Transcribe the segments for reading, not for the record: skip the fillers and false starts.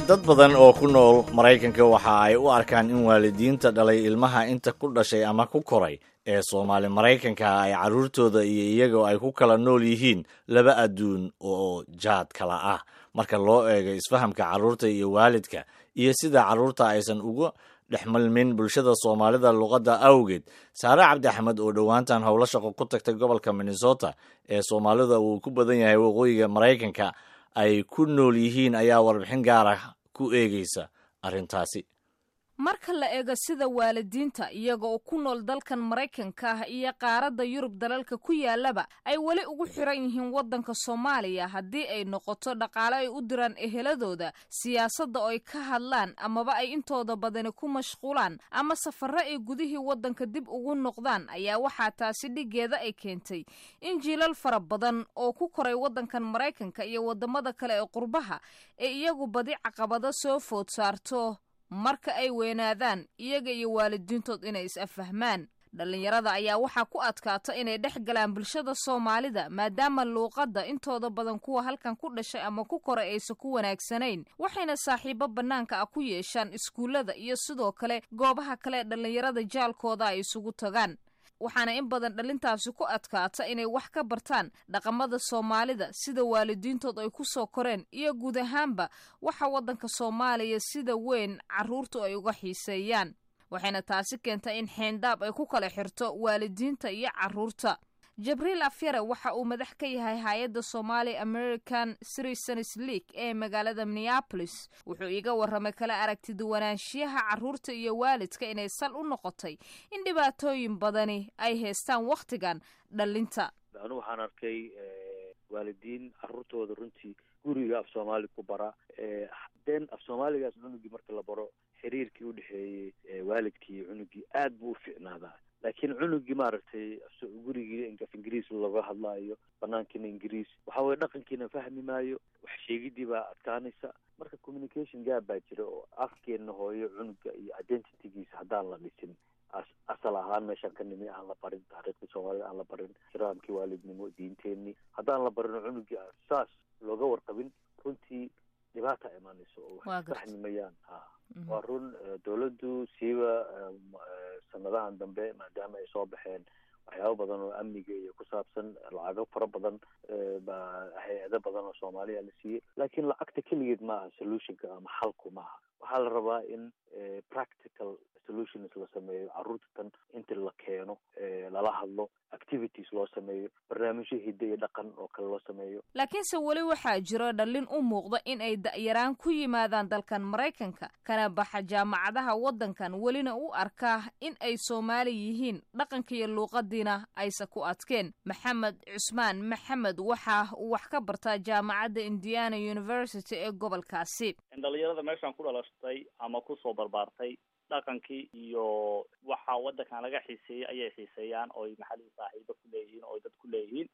Dad badan oo ku nool Maraykanka waxa ay u arkaan in waalidiinta dhalay ilmaha inta ku dhashay ama ku koray ee Soomaali Maraykanka ay carruurtooda iyo iyagoo ay ku kala nool yihiin laba adduun oo jaad kala ah, marka loo eego isfahamka carruurta iyo waalidka iyo sida carruurta aysan uga dhexmalmin bulshada Soomaalida luqadda awgeed. Saare Cabdi Axmed oo dhowaantan howlo shaqo ku tagtay gobolka Minnesota ee Soomaalida uu ku badan yahay waqooyiga Maraykanka ay ku nool yihiin ayaa warbixin gaar ah ku eegaysa arrintaasi. Marka la eego sida waalidiinta iyaga oo ku nool dalkan Maraykanka ah iyo qaaradda Yurub dalalka ku yaalaba ay weli ugu xiran yihiin waddanka Soomaaliya, haddii ay noqoto dhaqaale ay u diraan eheladooda, siyaasadda oo ay ka hadlaan amaba ay intooda badani ku mashquulaan, ama safarro ay gudihii waddanka dib ugu noqdaan, ayaa waxaa taasi dhiggeeda ay keentay in jiilal fara badan oo ku koray waddankan Maraykanka iyo waddamada kale ee qurbaha ee iyagu badi caqabado soo food saarto marka ay weynaadaan iyaga iyo waalidiintood inay is-afahmaan. Dhallinyarada ayaa waxaa ku adkaata inay dhex galaan bulshada Soomaalida, maadaama luuqadda intooda badan kuwa halkan ku dhashay ama ku koray aysan ku wanaagsanayn, waxayna saaxiibo bannaanka ah ku yeeshaan iskuullada iyo sidoo kale goobaha kale ee dhallinyarada jaalkooda ay isugu tagaan. Waxaana in badan dhalintaasi ku adkaata inay wax ka bartaan dhaqamada Soomaalida, sida waalidiintood ay ku soo koreen iyo guud ahaanba waxa waddanka Soomaaliya sida weyn carruurtu ay uga xiiseeyaan. Waxayna taasi keentay in xeendaab ay ku kala xirto waalidiinta iyo carruurta. Jibriil Afyare waxa uu madax ka yahay hay-adda Somali American Citizens League ee magaalada Minneapolis. Wuxuu iiga warramay kala aragti duwanaanshiyaha carruurta iyo waalidka inay sal u noqotay in dhibaatooyin badani ay haystaan wakhtigan dhalinta. Anigu waxaan arkay waalidiin carruurtooda runtii guriga af Soomaali ku bara, den af Soomaaligaas cunugii marka la baro, xiriirkii udhexeeyey waalidkii iyo cunugii aad buu u fiicnaadaa. Laakiin cunugii, maaragtay, gurigii af Ingiriis looga hadlaayo, banaankiina Ingiriis, waxa weye dhaqankiina fahmi maayo, wax sheegidii baa adkaanaysa. Marka communication gap baa jira oo afkeena hooyo cunuga iyo identitygiisa haddaan la dhisin, asal ahaan meeshaan ka nimi aan la barin, taariikhdii Soomaalida aan la barin, ixtiraamkii waalidnimo, diinteenii haddaan la barin, cunugii aan saas looga warqabin, runtii dhibaata imaanayso oo wax fahmi mayaan. Ha, waa run, dawladdu siiba sanadahan dambe, maadaama ay soo baxeen waxyaabo badan oo amniga iyo ku saabsan, lacago fara badan baa hay-ado badan oo Soomaaliya la siiyey. Laakiin lacagta keligeed maaha solutionka ama xalku maaha. Waxaa la rabaa in practical solutions la sameeyo, carruurta tan inta la keeno lala hadlo, activities loo sameeyo, barnaamijyo hidde iyo dhaqan oo kale loo sameeyo. Laakiinse weli waxaa jiro dhallin u muuqda in ay da'yaraan ku yimaadaan dalkan Maraykanka, kana baxa jaamacadaha waddankan, welina u arkaa in ay Soomaali yihiin, dhaqanka iyo luuqadiina aysa ku adkeen. Maxamed Cusmaan Maxamed waxa uu wax ka bartaa jaamacadda Indiana University ee gobolkaasi. Dhalinyarada meeshaan ku dhalashtay ama kusoo barbaartay, dhaqankii iyo waxa waddankan laga xiiseeyey ayay xiiseeyaan, ooy maxalihii saaxiibo ku leeyihiin, ooy dad ku leeyihiin.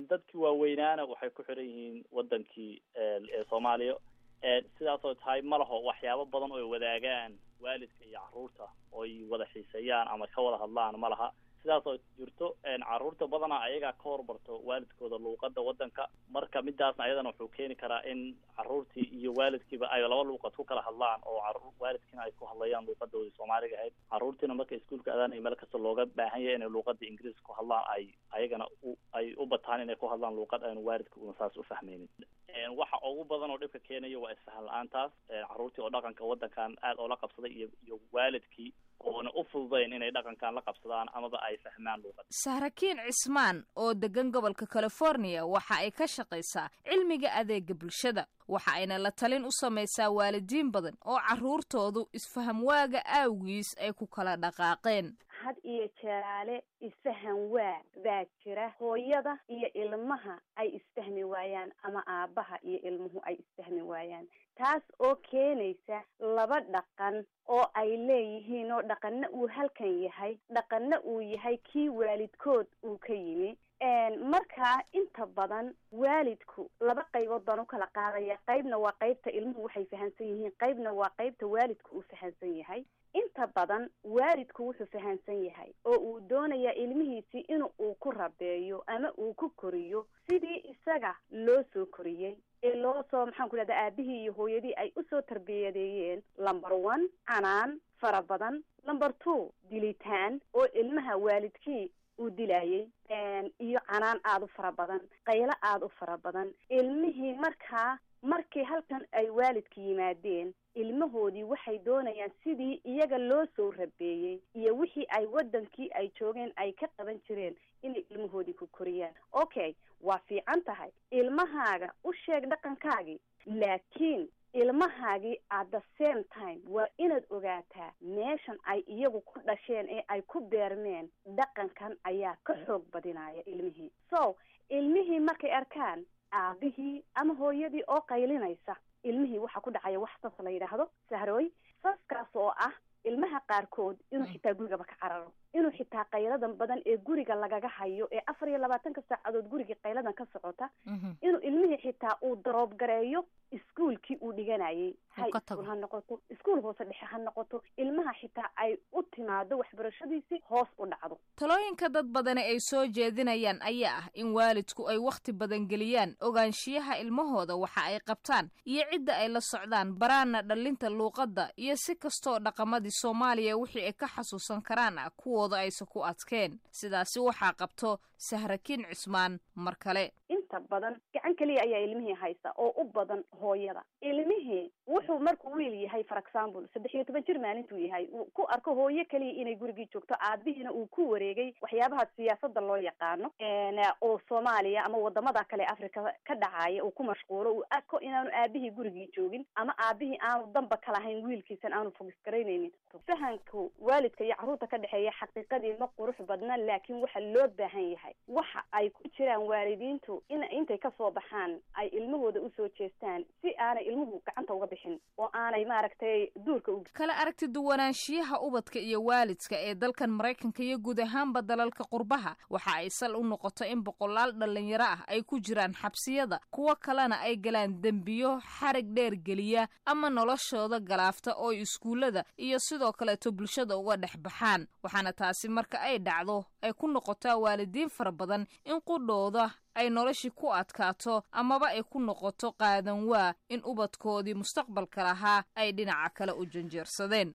Dadkii waaweynaana waxay ku xiran yihiin waddankii ee Soomaaliya. Sidaasoo tahay, ma laho waxyaabo badan oy wadaagaan waalidka iyo carruurta oy wada xiiseeyaan ama ka wada hadlaan ma laha. Sidaasoo jirto, carruurta badanaa ayagaa ka horbarto waalidkooda luuqada waddanka. Marka midaasna ayadana wuxuu keeni karaa in carruurtii iyo waalidkiiba ay laba luuqad ku kala hadlaan, oo waalidkiina ay ku hadlayaan luuqadoodii Soomaaliga ahayd, carruurtiina marka iskuulka adaan iyo meel kasta looga baahan yahay inay luuqada Ingiriiska ku hadlaan, ay ayagana ay u bataan inay ku hadlaan luuqad aynu waalidka una saas u fahmaynin. Waxa ugu badan oo dhibka keenaya waa isfahan la-aantaas, carruurtii oo dhaqanka waddankan aad oola qabsaday iyo waalidkii oona u fududayn inay dhaqankan la qabsadaan amaba ay fahmaan luuqada. Sahrakiin Cismaan oo degan gobolka California waxa ay ka shaqaysaa cilmiga adeega bulshada, waxa ayna la talin u samaysaa waalidiin badan oo carruurtoodu isfaham waaga aawgiis ay ku kala dhaqaaqeen. Had iyo jeeraale isfahan waa baa jira, hooyada iyo ilmaha ay isfahmi waayaan ama aabbaha iyo ilmuhu ay isfahmi waayaan, taas oo keenaysa laba dhaqan oo ay leeyihiin, oo dhaqanna uu halkan yahay, dhaqanna uu yahay kii waalidkood uu ka yimi. Markaa inta badan waalidku laba qaybood baan u kala qaadaya: qaybna waa qaybta ilmuhu waxay fahansan yihiin, qaybna waa qaybta waalidku uu fahansan yahay. Inta badan waalidku wuxuu fahansan yahay oo uu doonayaa ilmihiisii in uu ku rabeeyo ama uu ku koriyo sidii isaga loo soo koriyey ee loo soo horeba, maxaan ku dhahda, aabihii iyo hooyadii ay usoo tarbiyadeeyeen, number one, canaan fara badan, number two, dilitaan oo ilmaha waalidkii uu dilayay, iyo canaan aada u fara badan, qaylo aada u fara badan. Ilmihii markaa markii halkan ay waalidka yimaadeen, ilmahoodii waxay doonayaan sidii iyaga loo soo rabeeyey iyo wixii ay waddankii ay joogeen ay ka qaban jireen inay ilmahoodii ku koriyaan. Okay, waa fiican tahay, ilmahaaga u sheeg dhaqankaagii, laakiin ilmahaagii at the same time waa inaad ogaataa meeshan ay iyagu ku dhasheen ee ay ku beermeen dhaqankan ayaa ka xoog badinaya ilmihii. So ilmihii markay arkaan aabihii ama hooyadii oo qaylinaysa, ilmihii waxaa ku dhacaya wax sas la yidhaahdo, Sahrooy. Saskaas oo ah ilmaha qaarkood inuu xitaa gurigaba ka cararo, inuu xitaa qayladan badan ee guriga lagaga hayo ee 24-ka saacadood gurigii qayladan ka socota, inuu ilmihii xitaa uu drop gareeyo iskuolkii uu dhiganayay, high school ha noqoto, iskuol hoose dhexe ha noqoto, ilmaha xitaa ay u timaado waxbarashadiisii hoos u dhacdo. Talooyinka dad badani ay soo jeedinayaan ayaa ah in waalidku ay wakhti badan geliyaan ogaanshiyaha ilmahooda, waxa ay qabtaan iyo cidda ay la socdaan, baraana dhallinta luuqadda iyo si kastoo dhaqamadii Soomaaliya wixii ay ka xasuusan karaan ah kuwooda aysa ku adkeen. Sidaasi waxaa qabto Sahrakiin Cusmaan mar kale. Inta badan gacan keliya ayaa ilmihii haysa oo u badan hooyada. Ilmihii wuxuu markuu wiil yahay, for example, 13 jir maalintuu yahay, uu ku arko hooyo keliya inay gurigii joogto, aabihiina uu ku wareegay waxyaabaha siyaasadda loo yaqaano oo Soomaaliya ama wadamada kale Africa ka dhacaya uu ku mashquulo, uu arko inaanu aabihii gurigii joogin ama aabihii aanu danba ka lahayn wiilkiisan, aanu focus garaynaynin. Fahanka waalidka iyo carruurta ka dhexeeya xaqiiqadii ma qurux badna, laakiin waxa loo baahan yahay waxa ay ku jiraan waalidiintu in intay kasoo baxaan ay ilmahooda usoo jeestaan, si aanay ilmuhu gacanta uga bixin oo aanay, maaragtay, duurka u Kala aragti duwanaanshiyaha ubadka iyo waalidka ee dalkan Maraykanka iyo guud ahaanba dalalka qurbaha waxa ay sal u noqoto in boqolaal dhallinyaro ah ay ku jiraan xabsiyada, kuwo kalena ay galaan dembiyo xarig dheer geliya ama noloshooda galaafta oo iskuullada iyo sidoo kaleeto bulshada uga dhex baxaan. Waxaana taasi marka ay dhacdo ay ku noqotaa waalidiin fara badan in qudhooda ay noloshii ku adkaato amaba ay ku noqoto qaadan waa in ubadkoodii mustaqbalka lahaa ay dhinaca kale u janjeersadeen.